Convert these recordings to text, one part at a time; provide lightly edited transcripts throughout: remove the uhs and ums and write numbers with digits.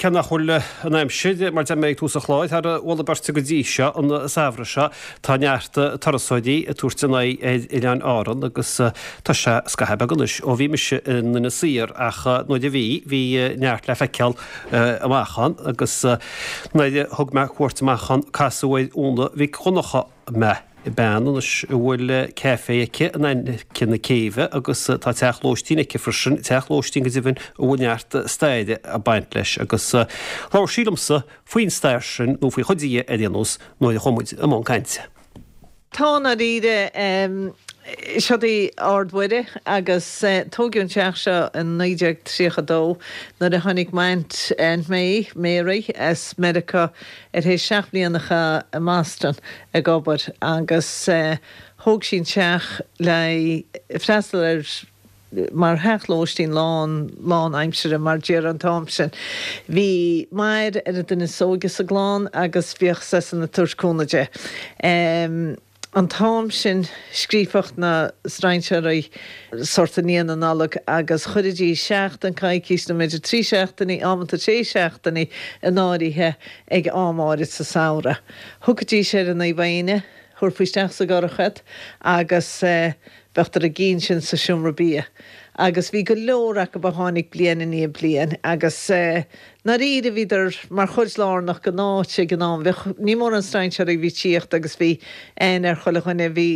cé nach bhfuil an aimsir, mar deir mé ag tús an chláir, thar mholadh beirte go dtí seo, an samhradh seo, tá neart turasóirí ag tabhairt a n-aghaidh ar Oileáin Árann agus tá sé scaitheamh beag anois ó bhí mise in Inis Oírr ach nuair a bhí, bhí neart le feiceáil amach ann agus nuair a thug mé cuairt amach ann casadh ar Úna Mhic Dhonncha mé. Bean anois a bhfuil caifé aici in aice na céibhe agus tá teach lóistín aici freisin, teach lóistín go deimhin a bhfuil neart staire ag baint leis agus labhair sí liomsa faoin stair sin, nó faoi chuid di ar aon nós, nuair a chuaigh muid i mbun cainte. Tá i ndáiríre. Seod í Ard Mhuire agus tóigeadh an teach seo in 1932 nuair a tháinig m'aint, Aunt May, Mary, as Meiriceá ar théis 7 mbliana a chaitheamh i mBoston ag obair agus thóg sí an teach le freastal ar mar theach lóistín lán lán aimsire mar déarfá an t-am sin. Bhí Máire ar an duine is óige sa gclann agus bhíodh seisean ag tabhairt cúnamh di. An t-am sin scríobhadh na strainséirí sort i ndiaidh na Nollag agus chuiridís seachtain, coicís nó b'fhéidir 3 seachtainí, amanta sé seachtainí in áirithe ag am áirid sa samhradh. Thiocfaidís ar an Naomh Éinne, thabharfaí isteach sa gcurach iad agus bheadh a gcinn sin sa seomra bia. Agus bhí go leor acu a tháinig bliain i ndiaidh bliain agus ndáiríre bhíodar mar chuid lárnach den áit ag an am. Bheadh, ní mórán strainséirí a bhí ag tíocht agus bhí aithne ar chuile dhuine. Bhí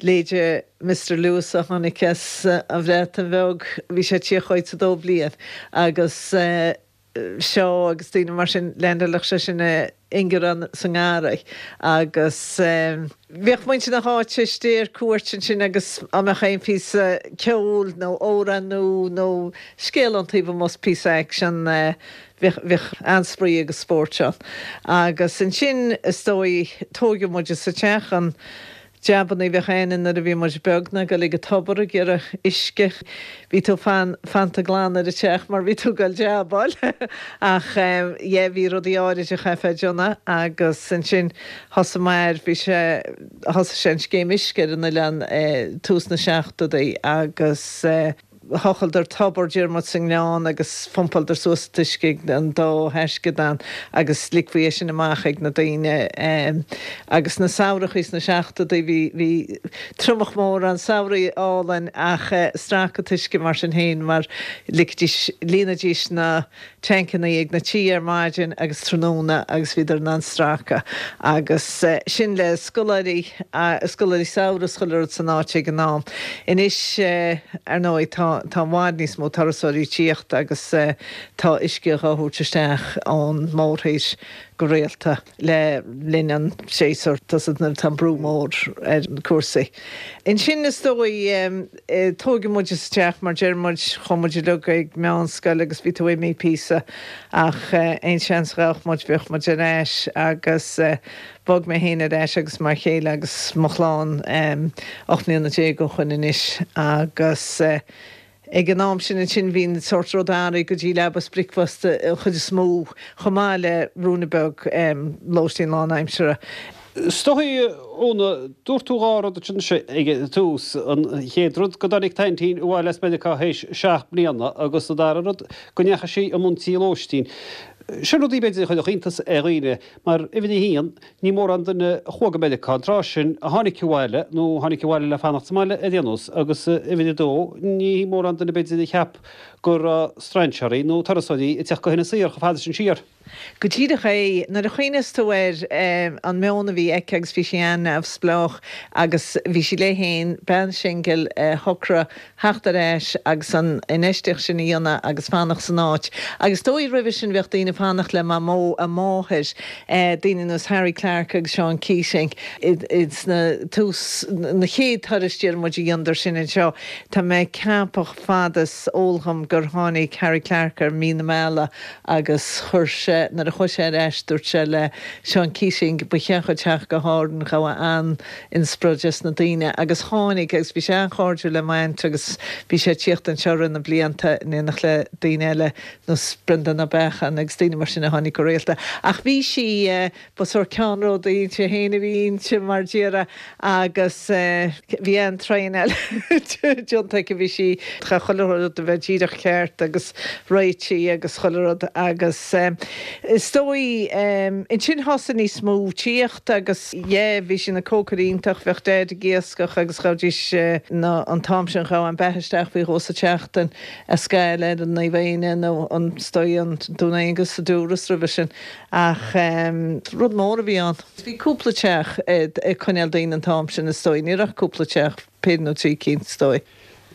leithéide Mister Lewis a tháinig as an Bhreatain Bheag, bhí sé ag tíocht chugainn sa dó bhliain agus seo agus daoine mar sin, leaindeálfadh sé sin i ingearán sa ngarraí agus bhíodh muintir na háite istigh ar cuairt ansin agus á mbeadh aon phíosa ceoil nó amhrán nua nó scéal ón taobh amuigh 's píosa aicsean bhíodh bhíodh an-spraoi agus spóirt ann. Agus ansin is dóigh tóigeadh muide sa teach an Jabannaí a bhíodh a'inn nuair a bhí muid beag ná goil ag an tobar ag iarraidh uisce. Bhí tú fan, fanta glan ar an teach mar bhí tú ag goil jabáil. Ach yeah bhí rudaí áirid a chaithfeá a dhéanamh agus ansin thosaigh m'athair, bhí sé, thosaigh sé an scéim uisce ar an oileán tús na seachtóidí agus eh, Thochaileadar tobar deir muid sa ngleann agus phumpáileadar suas an t-uisce ag an dá thaisceadán agus ligfí é sin amach ag na daoine. Agus na samhrachaí sna seachtóidí bhí bhí triomach mór ann, samhraí álainn ach stracadh an t-uisce mar sin féin mar ligfidís, líonaidís na tancannaí ag na tithe ar maidin agus tráthnóna agus bhíodar in ann stracadh agus sin le scoláirí, scoláirí samhraidh is chuile rud san áit ag an am. Anois ar ndóigh tá tá i bhfad níos mó turasóirí ag tíocht agus tá uisce dhá thabhairt isteach ón mórthír go rialta. le linn an tséasúir, nuair atá an brú mór ar cúrsaí. Ansin is dóigh, tóigeadh muid sa teach mar deir muid, chuaigh muid uilig ag meánscoil agus bhí tú imithe píosa ach aon seans a ghabhadh muid bhíodh muid ar ais agus bhog mé féin ar ais agus m'fhear céile agus mo chlann 18 mbliana ó shoin anois agus Ag an am sin ansin bhí an sórt rud athraithe go dtí leaba is bricfeasta an chuid is mó, chomh maith le ruainne beag lóistín lánaimseartha. Is dóigh, Úna, dúirt tú dhá rud ansin ag an tús, an chéad rud go dtáinig t'aintín abhaile as Meiriceá théis seacht mbliana agus an dara rud go ndeachaigh sí i mbun tí lóistín. Sin rudaí b'fhéidir a chuirfeadh iontas ar dhaoine mar uimhir a haon, Ní mórán duine a chuaigh go Meiriceá an tráth sin a tháinig abhaile, nó a tháinig abhaile le fanacht sa mbaile ar aon nós, agus uimhir a dó, ní mórán duine b'fhéidir a cheap go raibh strainséirí nó turasóirí ag teacht go hInis Oírr chomh fada sin siar. Go díreach é. Nuair a chuimhneos tú ar an meon a bhí aici agus bhí sí an-neamhspleách agus bhí sí léi féin, bean singil a shocraigh theacht ar ais agus an infheistíocht sin a dhéanamh agus fanacht san áit. Agus is dóigh roimhe sin bheadh daoine ag fanacht le Mamó, a máthair, daoine ar nós Harry Clarke agus Seán Keating sna tús, na chéad turais deir muid a dheineadar sin anseo. Tá mé ag ceapadh fad is eol dhom gur tháinig Harry Clarke ar mí na meala agus chuir sé, nuair a chuaigh sé ar ais dúirt sé le Seán Keating ba cheart dhuit theacht go hÁrainn, ghabh an. inspioráid as na daoine agus tháinig agus bhí sé an-chairdiúil le m'aint agus bhí sé ag tíocht anseo i rith na blianta in éineacht le daoine eile nós Breandán Ó Beacháin agus daoine. daoine mar sin a tháinig go rialta. Ach bhí sí, ba sórt ceannródaí inti féin a bhí inti mar déarfá agus bhí an-traenáil déanta aici, bhí sí, chaith chuile rud a bheith díreach ceart agus réitithe agus chuile rud agus is dóigh ansin thosaigh níos mó tíocht agus yeah bhí sí ina cócaire iontach, bheadh Daid ag iascach agus ghabhaidís na, an t-am sin ghabh an beatha isteach faoi dhó sa tseachtain a Scáil ar an Naomh Éanna nó an, is dóigh an Dún Aengus sa Dúras roimhe sin ach rud mór a bhí ann. Bhí cúpla teach ag coinneáil daoine an t-am sin is dóigh, ní raibh ach cúpla teach, péire nó trí cinn is dóigh.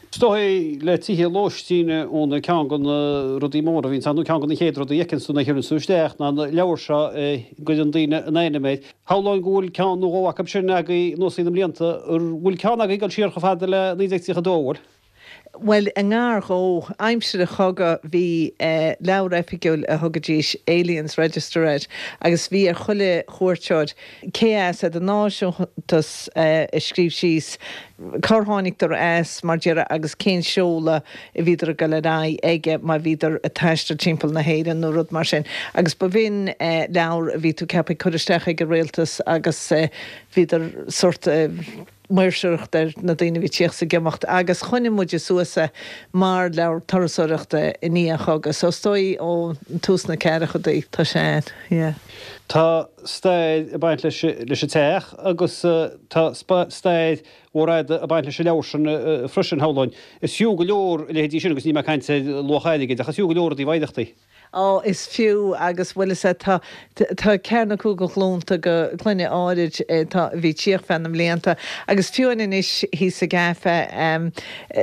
Is dóigh le tithe lóistín Úna ceann de na rudaí móra a bhíonns ann nó ceann de na chéad rudaí a fheiceanns tú nuair a chuireanns tú isteach ná na leabhair seo a gcuireann daoine a n-ainm air. Shamhlóinn go bhfuil ceann nó dhó acu sin agaibh anuas thrí na mblianta. An bhfuil ceann agaibh ag dul siar chomh fada le 1932, an bhfuil? Bhuel, i ngar dhó. Aimsir an chogaidh bhí leabhar oifigiúil a thugaidís Aliens Register air agus bhí ar chuile chuairteoir, cé as, é do náisiúntas a scríobh síos, cár tháinigdar as, mar déarfá, agus cén seoladh a bhíodar ag dul ar aghaidh aige má bhíodar ag taisteal timpeall na hÉireann nó rud mar sin. Agus ba bh'in leabhar a bhí tú ceaptha ag cur isteach ag an rialtas agus bhíodar sórt maoirseoireacht ar na daoine a bhí ag tíocht 's ag imeacht agus choinnigh muide suas é mar leabhar turasóireachta i ndiaidh an chogaidh. So is dóigh ó tús na ceathrachaidí tá sé ann, yeah. Tá stair ag baint leis leis an teach agus tá stair mhór fhada ag baint leis an leabhar sin freisin, shamhlóinn. Is fiú go leor a leithéidí sin agus níl mé ag caint ar luach airgid ach is fiú go leor i dtaobh oidhreachtaí. Á, is fiú, agus bhuel is ea, tá, tá ceathair nó cúig de ghlúnta de clainne áirid atá, a bhí ag tíocht feadh na mblianta, agus fiú amháin anois thíos sa gcaife,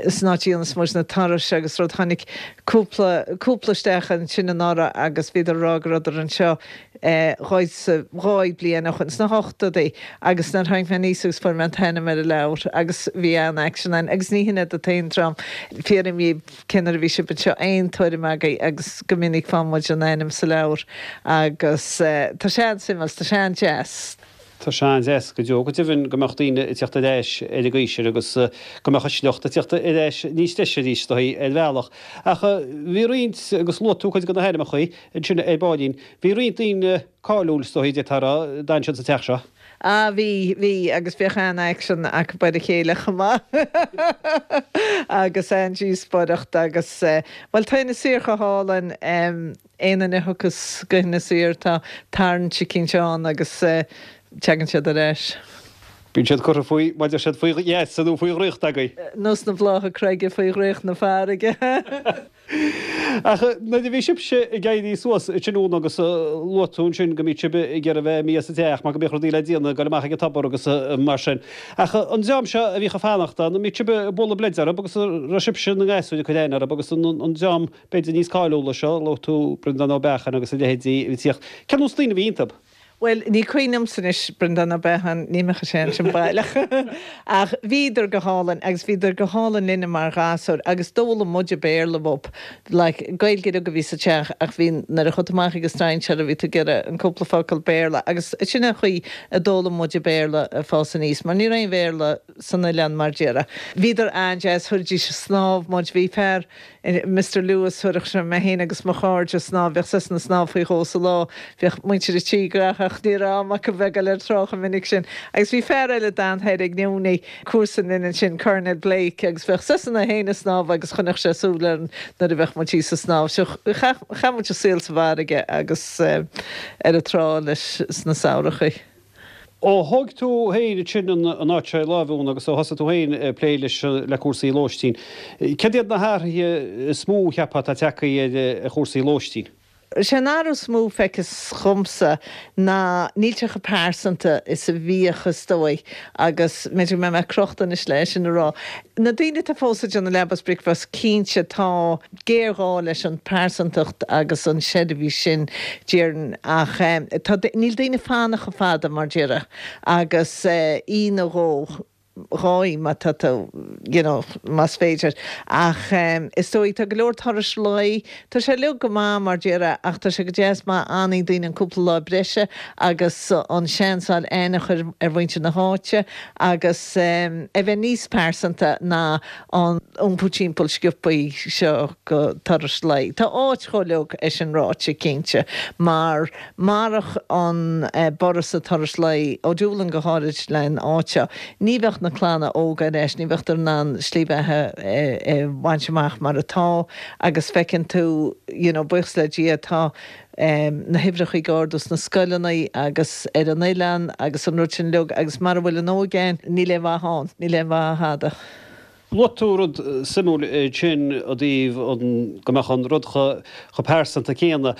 san áit a dhéanas muid na turais agus rud, tháinig cúpla, cúpla isteach ansin anuraidh agus bhíodar ag rá go rabhadar anseo dháigh bliain ó shoin, sna hochtóidí, agus nuair tháinig mé aníos agus fuair mé an t-ainm ar an leabhar agus bhí an-aicsean ann agus ní hin iad an t-aon dream, fiafraím dhíobh. Cén uair a bhí sibh anseo? Aon tuairim agaibh? Agus go minic faigheann muid an ainm sa leabhar agus tá sé an-suimiúil, tá sé an-deas. Tá sé an-deas go deo. Go deimhin go mbeadh daoine ag tíocht ar ais ar an gcaoi sin agus go mbeadh an sliocht ag tíocht ar ais níos deise arís, is dóigh, ar bhealach. Ach bhí roinnt, agus luaigh tú cuid de na hainmneacha ansin ar baillín, bhí roinnt daoine cáiliúil, is dóigh, d'fhéadfá a rá, a d'fhan siad sa teach seo. Ah bhí, bhí, agus bhíodh an-aicsean acu ar a chéile chomh maith agus an-díospóireacht agus eh, bhuel tá Inis Oírr chomh hálainn, aon duine a thiocfas go hInis Oírr tá tarraingt eicínt ann agus eh, teagann siad ar ais. Bíonn siad curtha faoi, mar a deir siad, faoi gheasa nó faoi dhraíocht agaibh. Nós na blátha creige faoi dhraíocht na farraige. Ach nuair a bhí sibhse ag éirí suas ansin Úna agus luaigh tú ansin go mbíodh sibh ag iarraidh bheith imithe as an teach mar go mbíodh rudaí le déanamh, ag dul amach ag an tobar agus mar sin. Ach an dream seo a bhíodh ag fanacht ann, an mbíodh sibh ag bualadh bleid orthu agus an raibh sibhse ina ngasúir ag cur aithne orthu agus an dream b'fhéidir níos cáiliúla seo, luaigh tú Breandán Ó Beacháin agus a leithéidí a bhí ag tíocht. Cén nós daoine a bhí iontu? Bhuel, ní cuimhin liomsa anois, Breandán Ó Beacháin, ní mbeadh sé ansin baileach. Ach bhíodar go hálainn agus bhíodar go hálainn linne mar ghasúir agus d'fhoghlaim muide Béarla uathu. Like, Gaeilge uilig a bhí sa teach ach bhí, nuair a chuaigh tú amach ag an strainséir bhí tú ag iarraidh an cúpla focal Béarla agus sin an chaoi a d'fhoghlaim muide Béarla ag fás aníos mar ní raibh aon Bhéarla san oileán mar déarfá. Bhíodar an-deas, thabhairdís ag snámh muid, bhí fear, Mister Lewis, thabharfadh sé mé féin agus mo chairde ag snámh, bheadh seisean ag snámh faoi dhó sa lá, bhíodh muintir an tí gnaitheach, ní raibh am acu bheith ag dul ar an trá chomh minic sin. Agus bhí fear eile a d'fhan thoir ag Newnie, comharsan linn ansin, Colonel Blake, agus bheadh seisean é féin ag snámh agus choinneodh sé súil orainn nuair a bheadh muid thíos ag snámh. So chaith, chaith muid an saol sa bhfarraige agus ar an trá leis sna samhrachaí. Ó thóig tú féin ansin an áit seo i láimh, Úna, agus ó thosaigh tú féin ag plé leis, le cúrsaí lóistín, céard iad na hathruithe is mó a cheapfá atá tagtha ar chúrsaí lóistín? Is é an athrú is mó feictear dhomsa ná níl sé chomh pearsanta is a bhíodh is dóigh agus b'fhéidir go mbeidh mé crochta anois le é sin a rá. Na daoine atá fós ag déanamh leaba is bricfeasta, cinnte tá géarghá leis an pearsantacht agus an seirbhís sin déarfainn ach tá, níl daoine ag fanacht chomh fada mar déarfá agus oíche nó dhó. dhóigh má tá tú, you know, más féidir. Ach is dóigh, tá go leor turais lae, tá sé uilig go maith mar déarfá ach tá sé go deas má fhanann daoine an cúpla lá breise agus an seans a fháil aithne a chur ar mhuintir na háite agus é bheith níos pearsanta ná an iompú timpeall sciobthaí seo go turais lae. Tá áit chomh uilig, é sin ráite, cinnte, mar marach an borradh sa turas lae, ó Doolin go háirid len áit seo, ní bheadh na clanna óga ar ais, ní bheadh in ann slí bheatha a bhaint amach mar atá agus feiceann tú, you know, buíochas le Dia, tá na huimhreacha ag ardú sna scoileanna agus ar an oileán agus an rud sin uilig agus mara bhfuil an óige ann, níl aon mhaith ann, níl aon mhaith i dtada. Luaigh tú rud suimiúil ansin i dtaobh an, go mbeadh an rud chomh pearsanta céanna.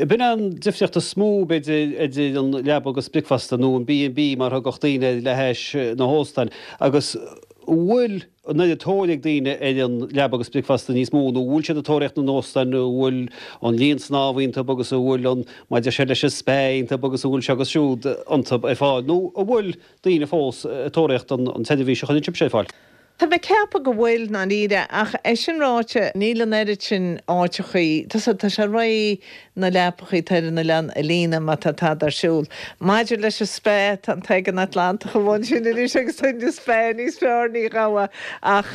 B'in an difríocht is mó, b'fhéidir, idir an leaba agus bricfeasta, nó an B and B mar a thugadh daoine air le hais na hóstáin. Agus an bhfuil an oiread tóir ag daoine ar an leaba agus bricfeasta níos mó, nó an bhfuil siad ag tóraíocht na n-óstán, an bhfuil an linn snámha iontu agus an bhfuil an, mar a deir siad leis an spa iontu agus an bhfuil seo agus siúd iontu ar fáil, nó an bhfuil daoine fós ag tóraíocht an tseirbhís a chuireann sibhse ar fáil. Tá mé ag ceapadh go bhfuil, ndáiríre, ach é sin ráite, níl an oiread sin áiteachaí, tá tá sé réidh na leapachaí atá ar an oileán a líonadh má tá tada ar siúl. Maidir leis an spa, tá an tAigéan Atlantach amuigh ansin anois agus tá an spa níos fearr, ní ghabhfá ach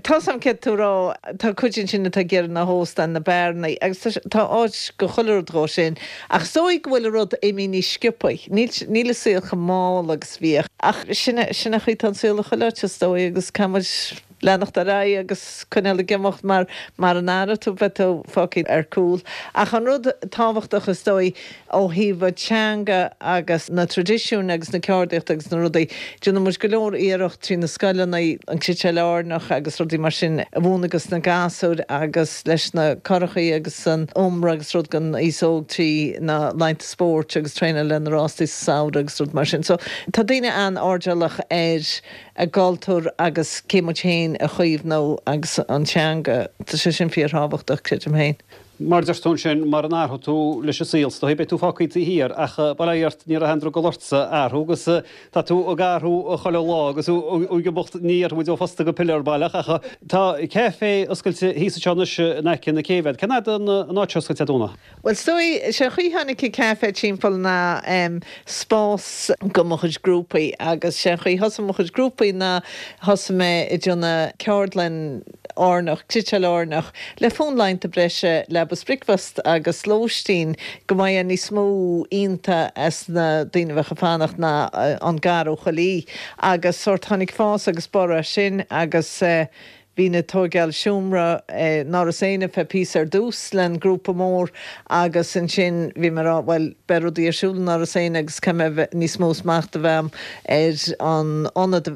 Tá's a'm céard tá tú a rá, tá cuid ansin atá ag iarraidh na hóstáin, na beárannaí, agus tá, tá áit go chuile rud dhó sin. Ach is dóigh go bhfuil an rud imithe níos sciobthaí. Níl, níl an saol chomh mall agus bhíodh. Ach sin é, sin é an chaoi atá an saol i chuile áit is dóigh agus caithfidh muid leanacht ar aghaidh agus coinneáil ag imeacht mar mara n-athraíonn tú beidh tú fágtha ar cúl. Ach an rud tábhachtach is dóigh, Ó thaobh an teanga agus na traidisiúin agus na ceardaíochta agus na rudaí, déanann muid go leor iarracht trí na scoileanna, an cniotáil Áirneach agus rudaí mar sin a mhúineadh dos na gasúir agus leis na currachaí agus an iomra agus rud don aos óg trí na laethanta spóirt agus traenáil le na rástaí sa samhradh agus rud mar sin. So tá daoine an-airdeallach ar a gcultúr agus cé muid féin a chaomhnú agus an teanga. Tá sé sin fíorthábhachtach, creidim féin. Mar a deir tú ansin, mara n-athróidh tú leis an saol, is dóigh, beidh tú fágtha taobh thiar. Ach bail ó Dhia ort, ní raibh aon drogall ortsa athrú agus tá tú ag athrú chuile lá agus ag imeacht, ní dhéarfaidh muid ó phosta go piléar baileach ach tá caife oscailte thíos anseo anois in aice na céibhe. Cén fhad an áit seo oscailte agat, Úna? Bhuel, is dóigh, sé an chaoi tháinig an caife timpeall ná spás go mo chuid grúpaí agus sé an chaoi thosaigh mo chuid grúpaí ná thosaigh mé ag déanamh ceardlann Áirneach, cniotáil Áirneach, le fonn laethanta breise, leaba 's bricfeasta agus lóistín, go mbeadh níos mó ionta as na daoine a bheadh ag fanacht ná an gar ó chuile thaobh. Agus sórt tháinig fás agus borradh as sin agus bhínn ag tóigeáil seomra in Áras Éanna feadh píosa ar dtús len grúpa mór agus ansin bhí mé ag rá bhuel beidh rudaí ar siúl in Áras Éanna agus caithfidh mé bheith níos mó smacht a bheith a'm ar an ionad,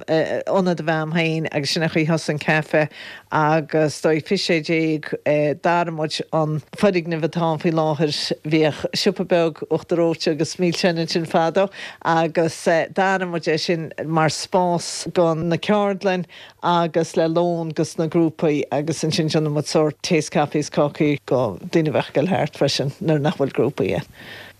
ionad a bheith a'm féin agus sin é an chaoi thosaigh an caife agus dóigh 2016 d'athraigh muid an foirgneamh atá ann faoi láthair, bhíodh siopa beag uachtar reoite agus milseáin ansin fadó agus d'athraigh muid é sin mar spás go na ceardlainn agus le lón dos na grúpaí agus ansin déanann muid sórt tae 's caife 's cácaí go daoine a bheadh ag dul thart freisin nuair nach bhfuil grúpaí ann.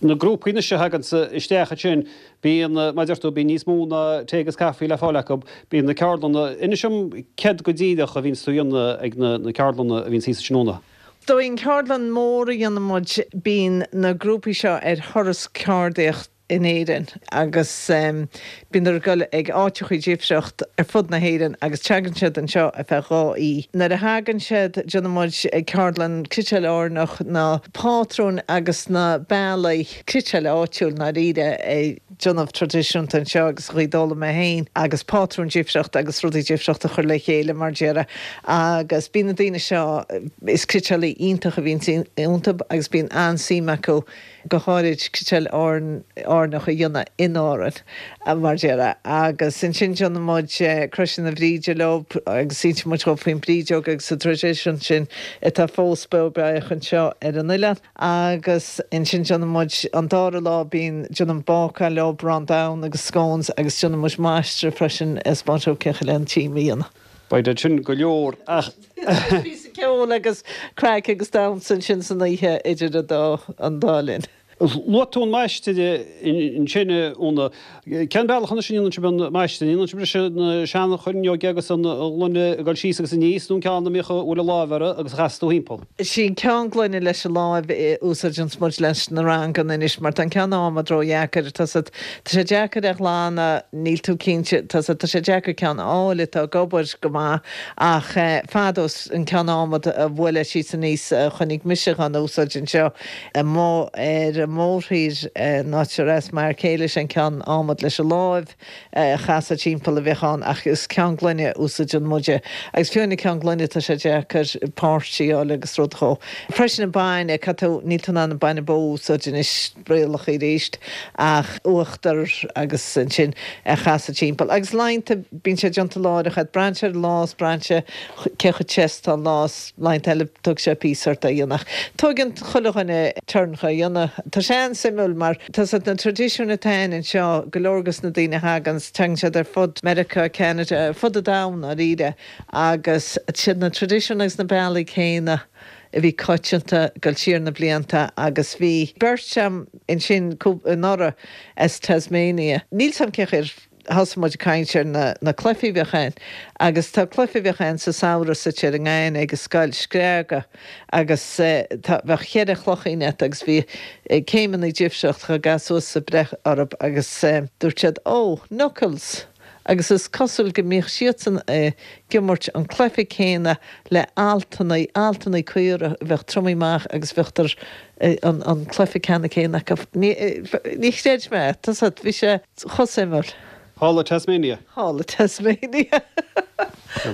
Na grúpaí anois a thaganns isteach ansin Bíonn, mar a deir tú, bíonn níos mó ná tae agus caife le fáil acu. Bíonn na ceardlanna, inis dom céard go díreach a bhíonns tú a dhéanamh ag na ceardlanna a bhíonns thíos ansin Úna. Dóigh an ceardlann mór a dhéanann muid, bíonn na grúpaí seo ar thuras ceardaíocht in Éirinn agus bíonn ag dul ag áiteachaí difriocht ar fud na hÉireann agus teagann siad anseo ar feadh 2 oíche. Nuair a thagann siad déanann muid ceardlann cniotáil Áirneach na pátrúin agus na bealaí cniotáil áitiúil ndáiríre a déanamh traidisiúnta anseo agus an chaoi d'fhoghlaim mé féin agus pátrúin difriochta agus rudaí difriochta a chur le chéile mar déarfá agus bíonn na daoine seo is cniotálaí iontach a bhíonn iontu agus bíonn an-suim acu go háirid cniotáil Áirneach a dhéanamh in Árainn mar déarfá agus ansin déanann muid Croiseanna na Bríde leo agus insíonn muid dhóibh faoin brídeog agus an traidisiún sin atá fós beo beathach anseo ar an oileán. Agus ansin déanann muid, an dara lá bíonn, déanann bácáil leo, arán donn agus scones agus déanann muid maistreadh freisin ag 'spáint dóibh cén chaoi le an tím a dhéanamh. Beidh sin go leor ach. Píosa ceoil agus craic agus damhsa ansin san oíche idir an dá, an dá linn. Luaigh tú an maistir ansin, a Úna. Cén bealach anois a ndéanann sibh an maistir? An ndéanann sibh leis na seanchoirneoga agus an ghloine ag dul síos agus aníos nó an ceann a mbíodh a bhfuil an láimh orthu agus a chasas tú thimpeall? Sí an ceann gloine leis an láimh a úsáideanns muid leis na ranganna anois mar tá an ceann adhmaid ródheacair. Tá sé tá sé deacair a ghlanadh, níl tú cinnte, tá sé tá sé deacair ceann a fháil atá ag obair go maith ach fadó an ceann adhmaid a bhuaileadh síos aníos a chonaic mise dhá n-úsáid anseo. Amuigh ar an mórthír, an áit ar as m'fhear céile, sé an ceann adhmaid leis an láimh a chasadh timpeall a bheadh ann ach is ceann gloine a úsáideann muide. Agus fiú na ceann gloine tá sé deacair páirt a fháil agus rud dhó. Freisin an bainne, caithfidh tú, níl tú in ann an bainne bó a úsáid anois, rialacha arís, ach uachtar agus ansin a chasadh timpeall. Agus laethanta bíonn sé déanta láithreach agat, braitheann sé ar an lá is braitheann sé cé chomh te is atá an lá is. Laethanta eile tógfaidh sé píosa ort é a dhéanamh. Ach tóigeann chuile dhuine turn chu a dhéanamh. Tá sé an-suimiúil mar tá siad na traidisiúin atá ann anseo, go leor dos na daoine a thaganns, tagann siad ar fud Meiriceá, Ceanada, ar fud an domhain ndáiríre agus siad na traidisiúin agus na bealaí céanna a bhí coitianta dul siar na blianta agus bhí beirt a'm ansin anuraidh as Tasmania. Níl 's a'm cén chaoi ar Thosaigh muid ag caint ar na cluichí a bheadh ann agus tá cluiche a bheadh ann sa samhradh suite ar an nGaibhne ag an scoil, screaga, agus tá, bheadh cheithre chloichín a't agus bhí céimeanna difriúla chun gabh suas a breith orthub agus dúirt siad oh, knuckles! agus is cosúil go mbíodh siadsan ag imirt an cluiche céanna le altannaí, altannaí caora a bheadh triomaithe amach agus bheadh an cluiche ceannann céanna acu. Ní, ní chreid mé é, tá 's a't, bhí sé. Chomh suimiúil. Thall i Tasmania. Thall i Tasmania.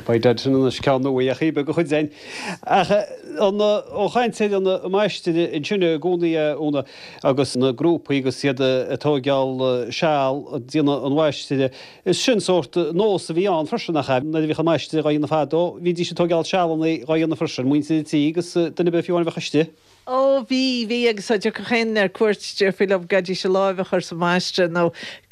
Beidh dead sin anois ceann nua a dheachaigh beag a chuid againn. Ach an ó chaint ar an máistir ansin i gcónaí a Úna agus na grúpaí agus iad ag tóigeáil seal ag déanamh an mháistir, is sin sórt nós a bhí ann freisin nach ea? Nuair a bhíodh an máistir dhá dhéanamh fadó bhídís ag tóigeáil sealanna dhá dhéanamh freisin, muintir an tí agus duine ar bith fiú amháin a bheadh istigh. Ó, bhí, bhí, agus dá dtiocfadh aon duine ar cuairt, déarfaí leo go gcaithfidís a láimh a chur sa mhaistreadh nó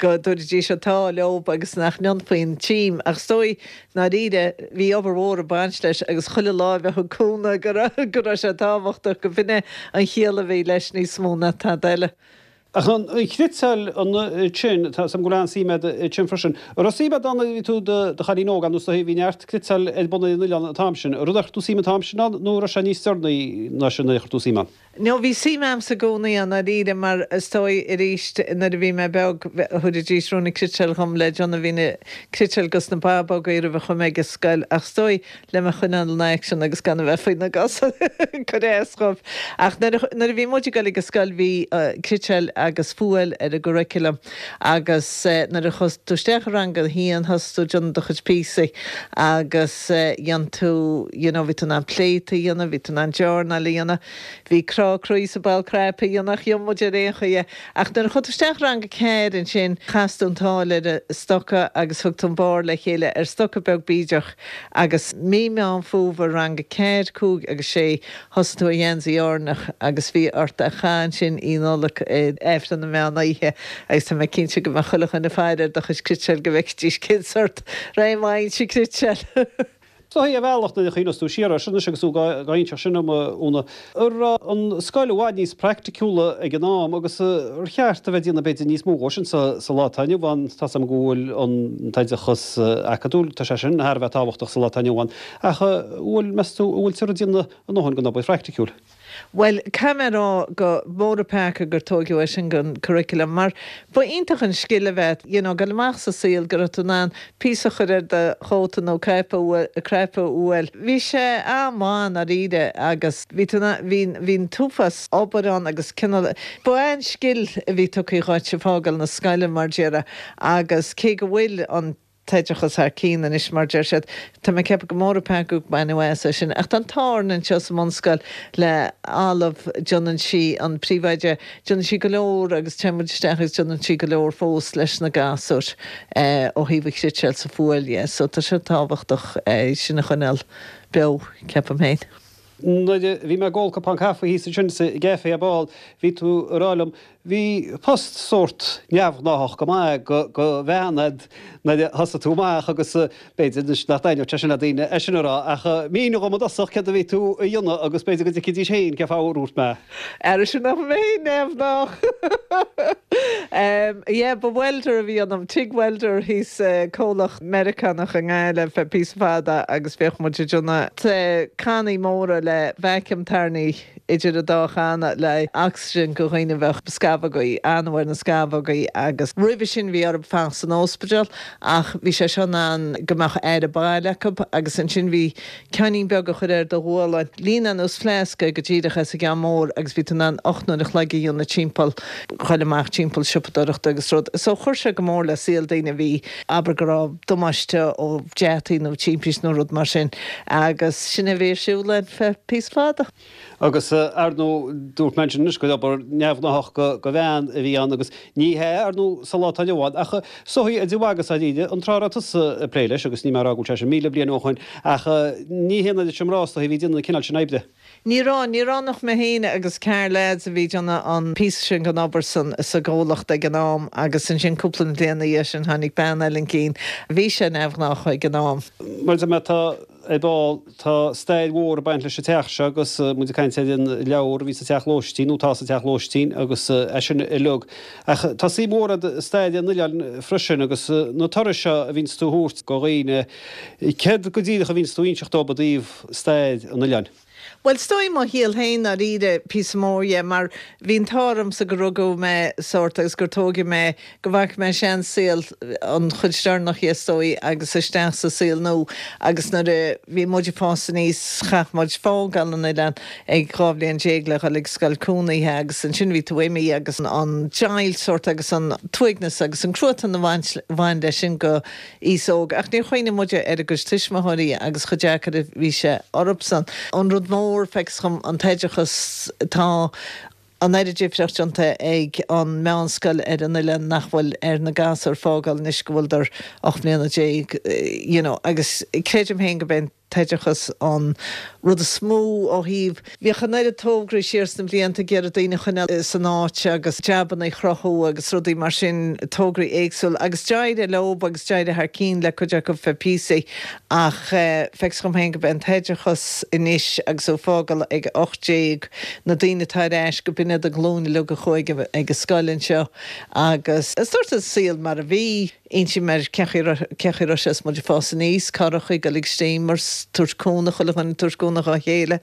go dtabharfaidís an t-ádh leob agus nach ndéanfaí an tím. Ach is dóigh, ndáiríre, bhí obair mhór ag baint leis agus chuile láimh a thug cúnamh go raibh, go raibh sé tábhachtach, go b'in é an chiall a bhí leis níos mó ná tada eile. Ach an chniotáil ansin, tá 's agam go bhfuil an-suim agat ansin freisin. An raibh suim agat ann nuair a bhí tú i do chailín óg ann nó is dóigh bhí neart cniotáil ar bun ar an oileán an t-am sin. Rud ar chuir tú suim an t-am sin ann nó an raibh sé níos deireanaí ná sin nuair a chuir tú suim ann? No, bhí suim a'msa i gcónaí ann ndáiríre mar is dóigh arís nuair a bhí mé beag thabhraidís ruainne cniotáil dhom le déanamh bhí na cniotáil 'gus na babógaí roimh a chuaigh mé ag an scoil ach is dóigh le mé a choinneáil in aicsean agus gan a bheith faoi na gcosa ag cur as dhóibh. Ach nuair a nuair a bhí muid ag dul ag an scoil bhí cniotáil agus fuáil ar an gcurriculum agus nuair a chuaigh tú isteach i rang a haon thosaigh tú ag déanamh do chuid píosaí agus dhein tú you know bhí tú in ann pléataí a dhéanamh, bhí tú in ann journáil a dhéanamh, bhí crá croí is ball cnaipe a dhéanamh ach dhein muid ar aon chaoi é. Ach nuair a chuaigh tú isteach i rang a ceathair ansin chas tú an tsáil ar an stoca agus thug tú an barr le chéile ar stoca beag bídeach Agus mí Meán Fómhair, rang a ceathair, cúig agus sé, thosaigh tú ar gheansaí Áirneach agus bhí ort é a chaitheamh ansin Oíche Nollag ag Aifreann na Meán Oíche agus tá mé cinnte go mbeadh chuile dhuine ag faire ar do chuid cniotáil go bhfeicfidís cén sort réim a fhaigheann sí cniotáil. Is dóigh ar bhealach nuair a chuimhneos tú siar air sin anois agus tú dhá inseacht sin dom, a Úna, an raibh an scoil i bhfad níos praiticiúla ag an am agus ar cheart a bheith ag déanamh b'fhéidir níos mó dhó sin sa lá atá inniu ann. Tá 's agam go bhfuil an t-oideachas acadúil, tá sé sin thar a bheith tábhachtach sa lá atá inniu ann, ach an bhfuil, meas tú, an bhfuiltear ag déanamh a ndóthain den obair phraiticiúil? Bhuel, caithfidh mé a rá go mór an peaca gur tóigeadh é sin den curriculum mar ba iontach an scil a bheith, you know, dul amach sa saol go raibh tú in ann píosa a chur ar do chóta nó caidhp a cnaip a fhuáil. Bhí sé an-mhaith i ndáiríre agus bhí tú in ann, bhí, bhí an t-uafás obair ann agus cineál, ba é an scil a bhí tugtha dhuit ag fágáil na scoile mar déarfá agus cé go bhfuil an t-oideachas thar cinn anois mar deir siad, tá mé ag ceapadh go mór an peaca gur baineadh as é sin. Ach tá an t-ádh orainn anseo sa mbunscoil le Olive, déanann sí, an príomhoide, déanann sí go leor agus téann muid isteach agus déanann sí go leor fós leis na gasúir ó thaobh an chniotáil 's an fuáil dhe. So tá sé tábhachtach é sin a choinneáil beo, ceapaim féin. Nuair a bhí mé ag ól cupán caife thíos ansin sa gcaife ar ball, bhí tú ag rá liom, bhí post sórt neamhghnáthach go maith go bhean a'd nuair a thosaigh tú amach agus b'fhéidir anois nach dtaitneodh sé sin le daoine é sin a rá ach mínigh dhom i dtosach céard a bhí tú a dhéanamh agus b'fhéidir go dtuigfidís féin cén fáth a ndúirt mé. Ara sin nach mé neamhghnách. Yeah, ba welder a bhí ionam, TIG welder thíos i comhlacht Meiriceánach i nGaillimh feadh píosa fada agus bhíodh muid ag déanamh cannaí móra le vacuum tairní idir an dá channa le oxygen go dhaoine a bheadh scamhógaí, anbh ar na scamhógaí agus roimhe sin bhí orthu fanacht san óspidéal ach bhí sé seo in ann go mbeadh aire baile acu agus ansin bhí ceainnín beag a chur ar do ghualainn. Líonadh ar nós fleasca go díreach as an gceann mór agus bhí tú in ann 8 n-uair a chloig a dhéanamh timpeall, ghoil amach timpeall siopadóireachta agus rud. So chuir sé go mór le saol daoine a bhí, abair go raibh damáiste ó deataí nó timpist nó rud mar sin agus sin a bhí ar siúl ar feadh píosa fada. Agus, ar ndóigh, dúirt mé ansin anois gur obair neamhghnáthach go bhean a bhí ann agus ní hea, ar ndóigh, sa lá atá inniu ann, ach is dóigh idir mhaith agus dháiríre, an tráth a raibh tusa ag plé leis, agus níl mé ag rá go bhfuil sé sin 1,000 bliain ó shoin, ach ní hé an oiread sin mná, is dóigh, a bhí ag déanamh an cineál sin oibre. Ní raibh, ní raibh ach mé féin agus ceathrar leaids a bhí ag déanamh an píosa sin den obair san, sa gcomhlacht ag an am agus ansin cúpla bliain ina dhiaidh sin tháinig bean eile chun cinn. Bhí sé neamhghnách ag an am. Mar a deir mé, tá. Ar ball, tá stair mhór ag baint leis an teach seo agus muid ag caint ar an leabhar a bhí sa teach lóistín, nó atá sa teach lóistín, agus é sin uilig. Ach tá suim mhór agat i stair an oileáin freisin agus na turais seo a bhíonns tú a thabhairt go dhaoine, céard go díreach a bhíonns tú a inseacht dóibh i dtaobh stair an oileáin? Bhuel, is dóigh mo shaol féin dáiríre, píosa mór dhe, mar bhí an t-ádh ormsa gur rugadh mé sórt agus gur tóigeadh mé, go bhfaca mé seansaol, an chuid deireanach dhe is dóigh, agus isteach sa saol nua agus nuair a bhí muid ag fás aníos chaith muid fágáil an oileáin ag 12 bhliain le dhul ag scoil cónaithe agus ansin bhí tú imithe agus an deighilt sórt agus an t-uaigneas agus an cruatan a bhain leis sin go aois óg, ach níor chuimhnigh muide ar a gcuid tuismitheoirí agus chomh deacair a bhí sé orthusan. An rud mór, feictear dhom, an t-oideachas, tá an oiread difríocht déanta ag an meánscoil ar an oileán nach bhfuil ar na gasúir fágáil anois go bhfuileadar 18 mbliana, you know, agus creidim féin go b'é an t-oideachas an rud is mó ó thaobh. Bhíodh an oiread tograí siar sna blianta ag iarraidh daoine a choinneáil san áit agus jabanna a chruthú agus rudaí mar sin, tograí éagsúla agus d'éirigh leob agus d'éirigh thar cinn le cuid acu feadh píosaí ach feictear dhom féin go b'é an t-oideachas anois agus tú ag fágáil ag 18, na daoine atá ar ais go b'in iad an ghlúin uilig a chuaigh ag an scoil anseo agus is dúirt an saol mar a bhí. Insím ar cén chaoi a raibh sé is muid ag fás aníos, carrachaí, ag dul ag steamers, tabhairt cúnamh, chuile dhuine ag tabhairt cúnamh dhá chéile.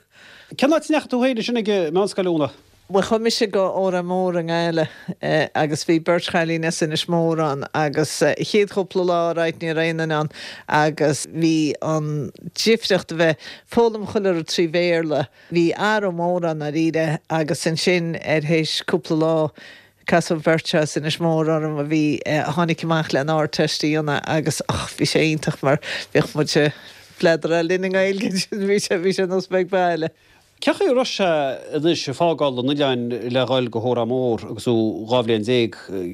Cén áit a ndeachaigh tú féin ansin ag an meánscoil, a Úna? Bhuel, chuaigh mise go Órán Mór i nGaillimh agus bhí beirt chailín as Inis Mór ann agus chéad chúpla lá, right, ní raibh aon duine ann agus bhí an difríocht a bheith foghlaim chuile rud 3 Bhéarla, bhí athrú mór ann dáiríre agus ansin ar théis cúpla lá Casadh beirt as Inis Mór orm a bhí, a tháinig amach le an Ardteist a dhéanamh agus och, bhí sé iontach mar bhíodh muid ag pléadáil linn i nGaeilge ansin, bhí sé, bhí sé nós bheith ag baile. Cén chaoi a raibh sé anois ag fágáil an oileáin le dhul go hÓrán Mór agus tú 12 bhliain?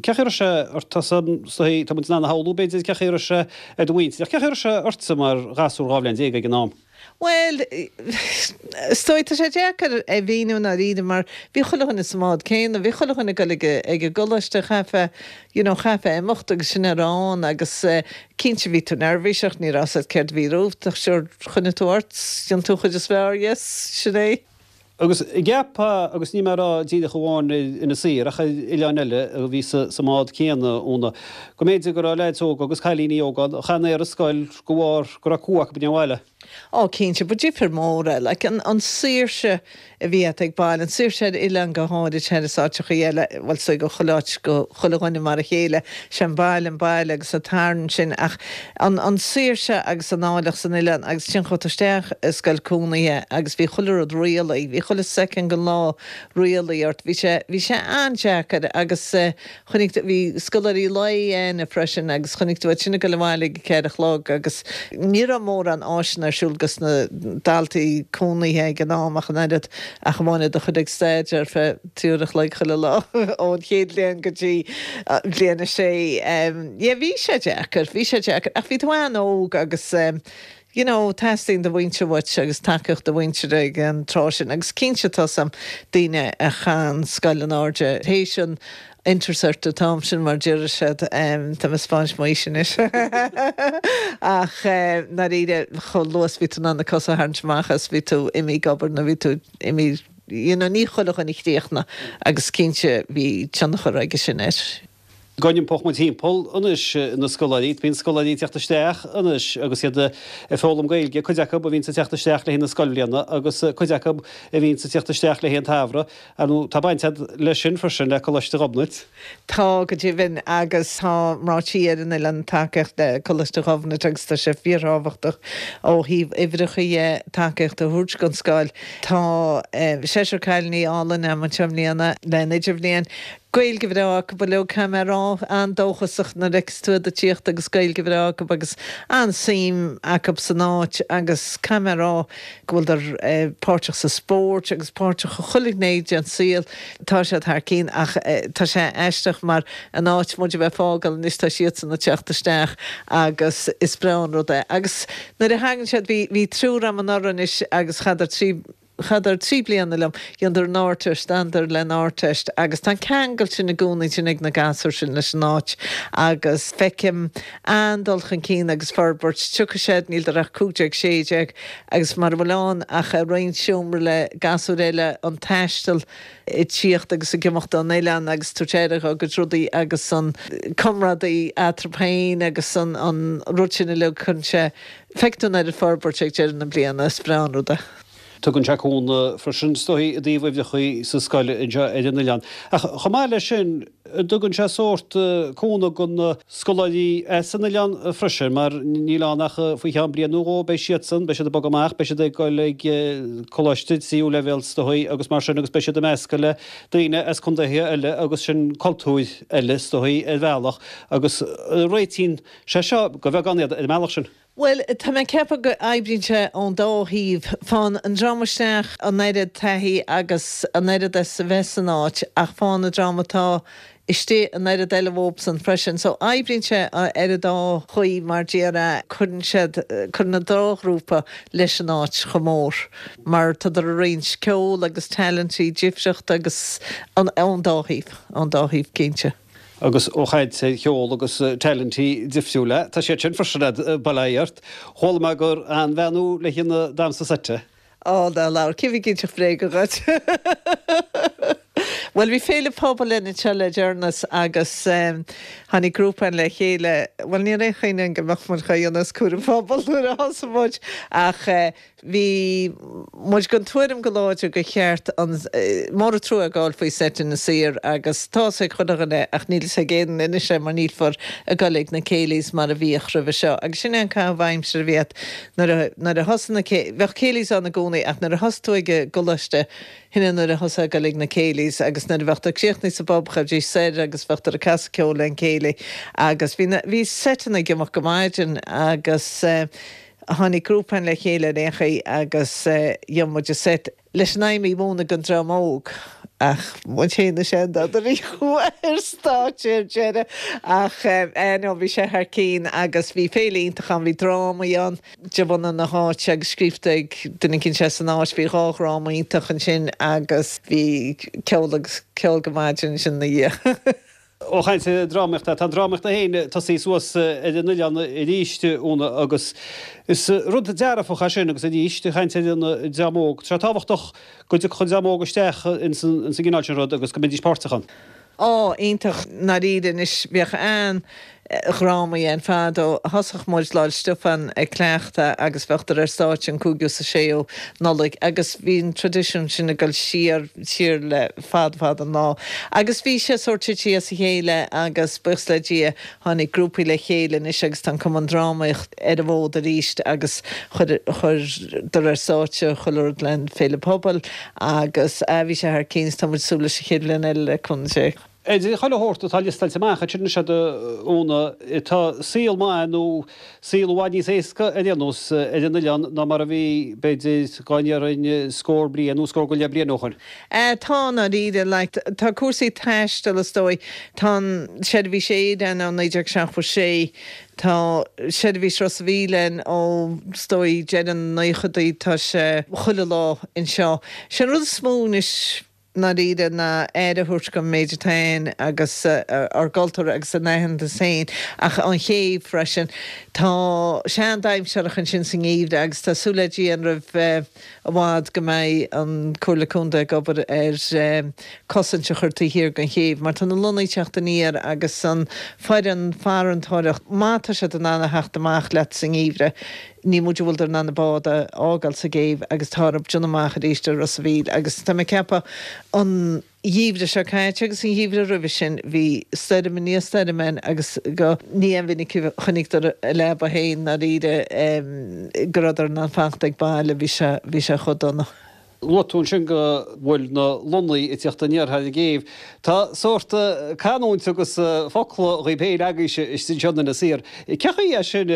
Cén chaoi a raibh sé ort tá muid in ann a shamhlú b'fhéidir cén chaoi a raibh sé ar do mhuintir ach cén chaoi a raibh sé ortsa mar ghasúr 12 bhliain ag an am? Bhuel, is dóigh, tá sé deacair a mhíniú i ndáiríre mar bhí chuile dhuine sa mbád céanna, bhí chuile dhuine ag dul ag ag an gcoláiste, chaithfeá, you know, chaithfeá imeacht agus sin a raibh ann agus cinnte bhí tú neirbhíseach, ní raibh 's agat céard a bhí romhat ach sure, choinnigh tú ort, dhein tú an chuid is fearr, yes, sin é. Agus an gceapfá, agus níl mé ag rá díreach amháin ar Inis Oírr ach ar oileáin eile a bhí sa mbád céanna, Úna, go mb'fhéidir go raibh leaids óga agus cailíní óga ann a chan aon scoil de bharr go raibh cumha acu i ndiaidh an bhaile. Ó, cinnte, ba difear mór é. Like, an, an saoirse a bhí agat ag baile, an saoirse ar oileán go háirid thar is áiteachaí eile, bhuel, is dóigh go chuile áit, go chuile dhuine mar a chéile, sé an baile an baile agus an tarraingt sin ach an, an saoirse agus an áilleacht san oileán agus ansin chuaigh tú isteach i scoil cónaithe agus bhí chuile rud rialaithe, bhí chuile soicind den lá rialaithe ort, bhí sé, bhí sé an-deacair agus chonaic tú, bhí scoláirí lae againne freisin agus chonaic tú iad sin ag dul abhaile ag a ceathair a chlog agus ní raibh mórán áiseanna ar siúl dos na daltaí cónaithe ag an am ach an oiread ach amháin iad a chur ag staidéar ar feadh 3 uair a chloig chuile lá ón chéad bhliain go dtí bliain a sé. Yeah, bhí sé deacair, bhí sé deacair ach bhí tú an-óg agus. You know, teastaíonn do mhuintir uait agus tacaíocht do mhuintire ag an tráth sin agus cinnte tá 's a'm daoine a chaith an scoil in airde théis an Intercert an t-am sin mar deir siad, tá mé ag 'spáint m'aois anois ach ndáiríre chomh luath is bhí tú in ann na cosa a tharraingt amach as bhí tú imithe ag obair nó bhí tú imithe you know ní chuile dhuine a chríochnaigh agus cinnte bhí tionchar aige sin air. Go n-iompódh muid thimpeall anois na scoláirí, bíonn scoláirí ag teacht isteach anois agus iad ag foghlaim Gaeilge, cuid acu a bhíonns ag teacht isteach le haghaidh na scoilbhliana agus cuid acu a bhíonns ag teacht isteach le haghaidh an tsamhraidh. Ar ndóigh, tá baint agat leis sin freisin, le Coláiste Ghobnait. Tá, go deimhin, agus tá mná tí ar an oileán tacaíocht le Coláiste Ghobnait agus tá sé fíorthábhachtach ó thaobh uimhreacha dhe tacaíocht a thabhairt don scoil. Tá seisear cailíní álainn agam anseo i mbliana le an idirbhliain. Gaeilge bhreá acu uilig, caithfidh mé a rá, an-dóchasach nuair a fheiceas tú iad ag tíocht agus Gaeilge bhreá acu agus an-suim acu san áit agus caithfidh mé a rá go bhfuileadar páirteach sa spórt agus páirteach i chuile ghné den saol. Tá siad thar cinn ach tá sé aisteach mar an áit muid a bheith ag fágáil anois tá siadsan ag teacht isteach agus is breá an rud é. Agus nuair a thagann siad, bhí, bhí triúr agam anuraidh anois agus chaitheadar 3, Chaitheadar 3 bliana liom, dheineadar an Ardteist, d'fhanadar len Ardteist agus tá an ceangal sin i gcónaí ansin ag na gasúir sin leis an áit agus feicim an-dul chun cinn agus forbairt. Tiocfaidh siad, níldar ach 15, 16 agus mara bhfuil ann ach ag roinnt seomra le gasúir eile an taisteal ag tíocht agus ag imeacht ón oileán agus tabhairt aire dhá gcuid rudaí agus an comrádaí eatarthu féin agus an rud sin uilig, cuireann sé, feicfidh tú an oiread forbairt ag deireadh na bliana, is breá an rud é. Tugann sé cúnamh freisin, is dóigh, i dtaobh uimhreacha sa scoil anseo ar an oileán. Ach chomh maith leis sin, tugann sé sórt cúnamh do na scoláirí as an oileán freisin, mar níl ann ach faoi cheann bliain nó dhó beidh siadsan, beidh siad ag bogadh amach, beidh siad ag dul ag coláiste tríú leibhéal is dóigh agus mar sin agus beidh siad ag meascadh le daoine as contaetha eile agus sin cultúir eile is dóigh ar bhealach agus réitíonn sé seo go bheagán iad ar an mbealach sin. Bhuel, tá mé ag ceapadh go oibríonn sé ón dá thaobh. Faigheann an dream isteach an oiread taithí agus an oiread as a bheith san áit ach faigheann an dream atá istigh an oiread eile uathubsan freisin. So oibríonn sé ar an dá chaoi mar déarfá, cuireann siad, cuireann an dá ghrúpa leis an áit chomh mór mar tádar ag roinnt ceol agus talentí difriúla agus ón dá thaobh, ón dá thaobh cinnte. Agus ó chaint ar cheol agus talentí difriúla, tá siad sin freisin a'd, bail ó Dhia ort. Chuala mé gur an-bhean thú le haghaidh an damhsa seite. Á, ná labhair, cé bhí ag inseacht bréaga dhuit? Bhuel, bhí féile pobail againn anseo le deireanas agus tháinig grúpa againn le chéile, bhuel, ní raibh aon chuimhne againn go mbeadh muid dhá dhéanamh as cúram pobail nuair a thosaigh muid ach Bhí muid den tuairim go láidir gur cheart an, mór an trua a gabháil faoi seit Inis Oírr agus tá fhios ag chuile dhuine ach níl fhios ag aon duine anois é mar nílfear ag goil ag na céilís mar a bhíodh roimhe seo agus sin é an caitheamh aimsire a bhí a't nuair a nuair a thosaigh na cé bheadh céilís ann i gcónaí ach nuair a thosaigh tú ag an gcoláiste shin é nuair a thosaigh ag goil ag na céilís agus nuair a bheadh tú críochnaithe sa bpub ghabhaidís soir agus bheadh tú ag casadh ceoil le an céilí agus bhí na bhí seiteanna ag imeacht go maidin agus eh Tháinig grúpa againn le chéile ar aon chaoi agus dhein muid an seit leis an aidhm í a mhúineadh don dream óg ach muid féin na seandochtúirí a chuaigh ar stáitse ar deireadh ach eh no bhí sé thar cinn agus bhí féile iontach ann, bhí drámaí ann de bhunadh na háite agus scríofa ag duine eicínt as an áit, bhí dhá dhráma iontach ansin agus bhí ceol agus ceol go maidin ansin ina dhiaidh. Ó chaint ar drámaíocht, tá an drámaíocht féin tosaithe suas ar an oileán arís, Úna, agus is rud dearfach é sin agus arís, ag caint ar an dream óg, tá sé tábhachtach go dtiocfadh an dream óg isteach ins an gcineál sin rud agus go mbeidís páirteach ann. Á, iontach, ndáiríre anois, bhíodh an-dhrámaí ann fadó. Thosódh muid Lá 'le Stiofáin ag cleachtadh agus bheadh ar stáitse an cúigiú is an séú Nollaig agus bhí an traidisiún sin ag dul siar, siar le fada fada an lá. Agus bhí sé sórt tite as a chéile agus buíochas le Dia tháinig grúpaí le chéile anois agus tá an Cumann Drámaíocht ar an bhfód arís agus chuir, chuireadar ar stáitse chuile rud le an Féile Pobail agus ah bhí sé thar cinn is tá muid ag súil leis an chéad bhliain eile le cúnamh Dé. Idir chuile shórt atá liostáilte amach ansin anois agat a Úna, tá saol maith nó saol i bhfad níos éasca ar aon nós ar an oileán ná mar a bhí, b'fhéidir, dhá ndéarfainn scór bliain nó scór go leith bliain ó shoin. Tá, i ndáiríre, like, tá cúrsaí taistil, is dóigh, tá an seirbhís aeir ann ó 1976, tá seirbhís Ros a' Mhíl ann ó, is dóigh, deireadh na naochadaí, tá sé chuile lá anseo. Sé an rud is mó anois, ndáiríre ná aire a thabhairt don méid atá ann agus ár gcultúr agus a n-aitheantas féin ach an chéibh freisin. Tá sé an-dainséarach ansin sa ngeimhreadh agus tá súil le Dia roimh i bhfad go mbeidh an Comhairle Contae ag obair ar cosaint a chur taobh thiar den chéibh mar tá na lonnaí ag teacht aniar agus an foireann farantóireacht má tá siad in ann a theacht amach leat sa ngeimhreadh Ní móide a bhfuileadar in ann an bád a fhágáil sa gcéibh agus tá orthu déanamh amach arís ar Ros a' Mhíl agus tá mé ag ceapadh an gheimhreadh seo caite agus an gheimhreadh roimhe sin bhí stoirm i ndiaidh stoirme ann agus go ní an-mhinic a chonaiceadar a leaba féin ndáiríre go rabhadar in ann fanacht ag baile bhí sé bhí sé chomh dona. Luaigh tú ansin go bhfuil na lonnaí ag tíocht aniar thar an gcéibh. Tá sórt canúint agus focla dhaoib féin agaibhse istigh anseo in Inis Oírr. Cén chaoi é sin,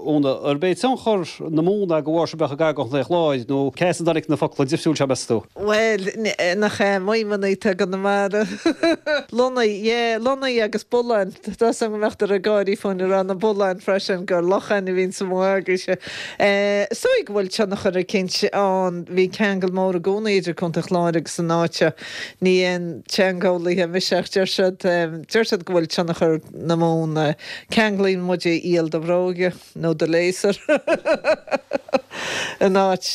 Úna? Arb é tionchar na Mumhan go bharr sibh bheith gar do Chontae an Chláir nó cé as a dtáinig na focla difriúil seo, meas tú? Bhuel, nach ea, Maidhmeanna atá i gConamara. Lonnaí, yeah, lonnaí agus bulláin. Tá 'fhios agam go mbeadh ag gáirí fúinn ag rá na bulláin freisin, gur locháin a bhíonn sa mhaith agaibhse. Is dóigh go bhfuil tionchar eicínt ann. Bhí ceangal mór i gcónaí idir Contae an Chláir agus an áit seo. Ní aon teangeolaithe mise ach deir siad, deir siad go bhfuil tionchar na Mumhan. Ceanglaíonn muide iall do bhróige nó do léasair in áit,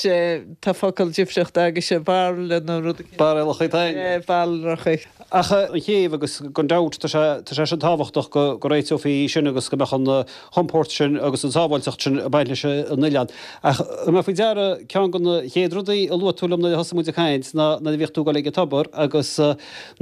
tá focal difriocht agaibhse, bairille nó rud eicínt. Bairilleachaí tá. Bairilleachaí. Ach an chéibh agus gan dabht tá sé, tá sé sin tábhachtach go, go réiteofaí sin agus go mbeadh an, chompord sin agus an tsábháilteacht sin ag baint leis an oileán. Ach thug mé faoi deara ceann de na chéad rudaí a luaigh tú liom nuair a thosaigh muid ag caint ná nuair a bhíodh tú ag dul ag an tobar agus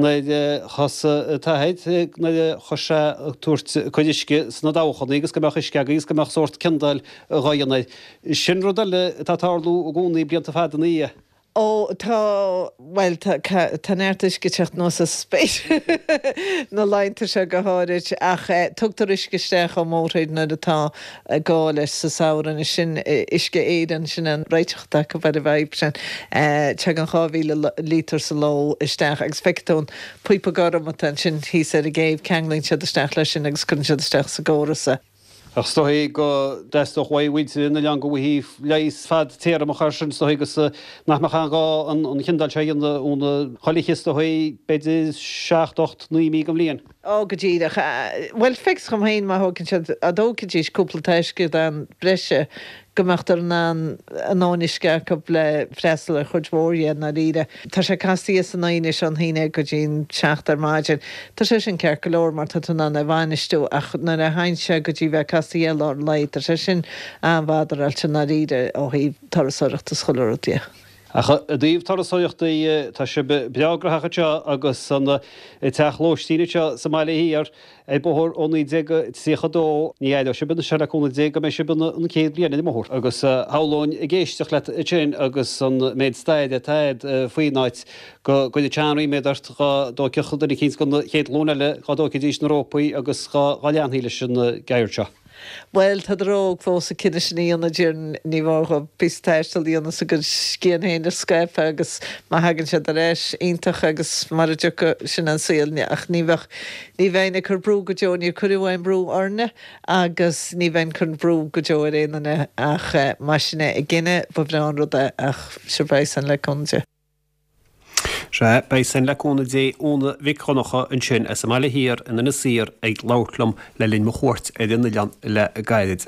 nuair a thosaigh t'athair, nuair a thosaigh sé ag tabhairt cuid uisce sna dabhchannaí agus go mbeadh uisce agaibh agus go mbeadh sórt ciondáil dhá dhéanamh air. Sin rud eile atá ag tarlú i gcónaí blianta fada ina dhiaidh. Ó, tá, bhuel, tá, tá neart uisce ag teacht anuas as an spéir, na laethanta seo go háirid, ach tugtar uisce isteach ón mórthír nuair atá gá leis sa samhradh. Anois sin Uisce Éireann, sin an réiteach atá acu ar an bhfadhb sin. Tagann 2,000 líotar sa ló isteach agus feicfidh tú an píopa gorm atá ansin thíos ar an gcéibh, ceanglaíonn siad isteach leis sin agus cuireann siad isteach sa gcóras é. Ach is dóigh go dteastódh uaidh mhuintir an oileáin go bhfaighfí leigheas fadtéarmach air sin, is dóigh, agus nach mbeadh aon ghá an chiondáil seo a dhéanamh óna chuile is dóigh, b'fhéidir, seacht, ocht, naoi mí den bhliain. Ó, go díreach. Bhuel, feictear dhom féin má thógann siad, dá dtógfaidís cúpla taisceadán breise, go mbeadh in ann a ndóthain uisce acu le freastal ar chuid mhór dhe, i ndáiríre. Tá sé casta san oíche anois ón haon déag go dtí an seacht ar maidin. Tá sé sin ceart go leor mar tá tú in ann é a bhainistiú ach nuair a théann sé go dtí bheith casta i lár an lae, tá sé sin an-bhadarailte i ndáiríre ó thaobh turasóireachta is chuile rud dhe. Ach i dtaobh turasóireachta, tá sibh breá graitheach anseo agus an teach lóistín anseo sa mBaile Thiar ar bóthar ó 1932. Ní aireoidh sibh anois le cúnamh Dé go mbeidh sibh an chéad bhliain ar an mbóthar. Agus shamhlóinn ag éisteacht leat ansin agus an méid staire atá agat faoin áit go gcuirfeadh sé an-ríméad ort dhá dtógfadh duine eicínt den chéad ghlúin eile, dhá dtógfaidís na rópaí agus dhá leanfaí leis an gceird seo. Bhuel, tádar óg fós an cinneadh sin a dhéanamh, déarfainn. Ní mór dhóibh píosa taistil a dhéanamh is a gcuid scian féin a scaipeadh agus má thagann siad ar ais, iontach agus mara dtiocfaidh, sin an saol. Ach ní bheadh, ní bheinn ag cur brú go deo, níor cuireadh aon brú orainne agus ní bheinn ag cur brú go deo ar aon duine ach má sin é a gcinneadh, ba bhreá an rud é ach sure beidh san le cúnamh Dé. Sea, beidh san le cúnamh Dé Úna Mhic Dhonncha ansin as an mBaile Thiar in Inis Oírr ag labhairt liom le linn mo chuairt ar an oileán le gairid.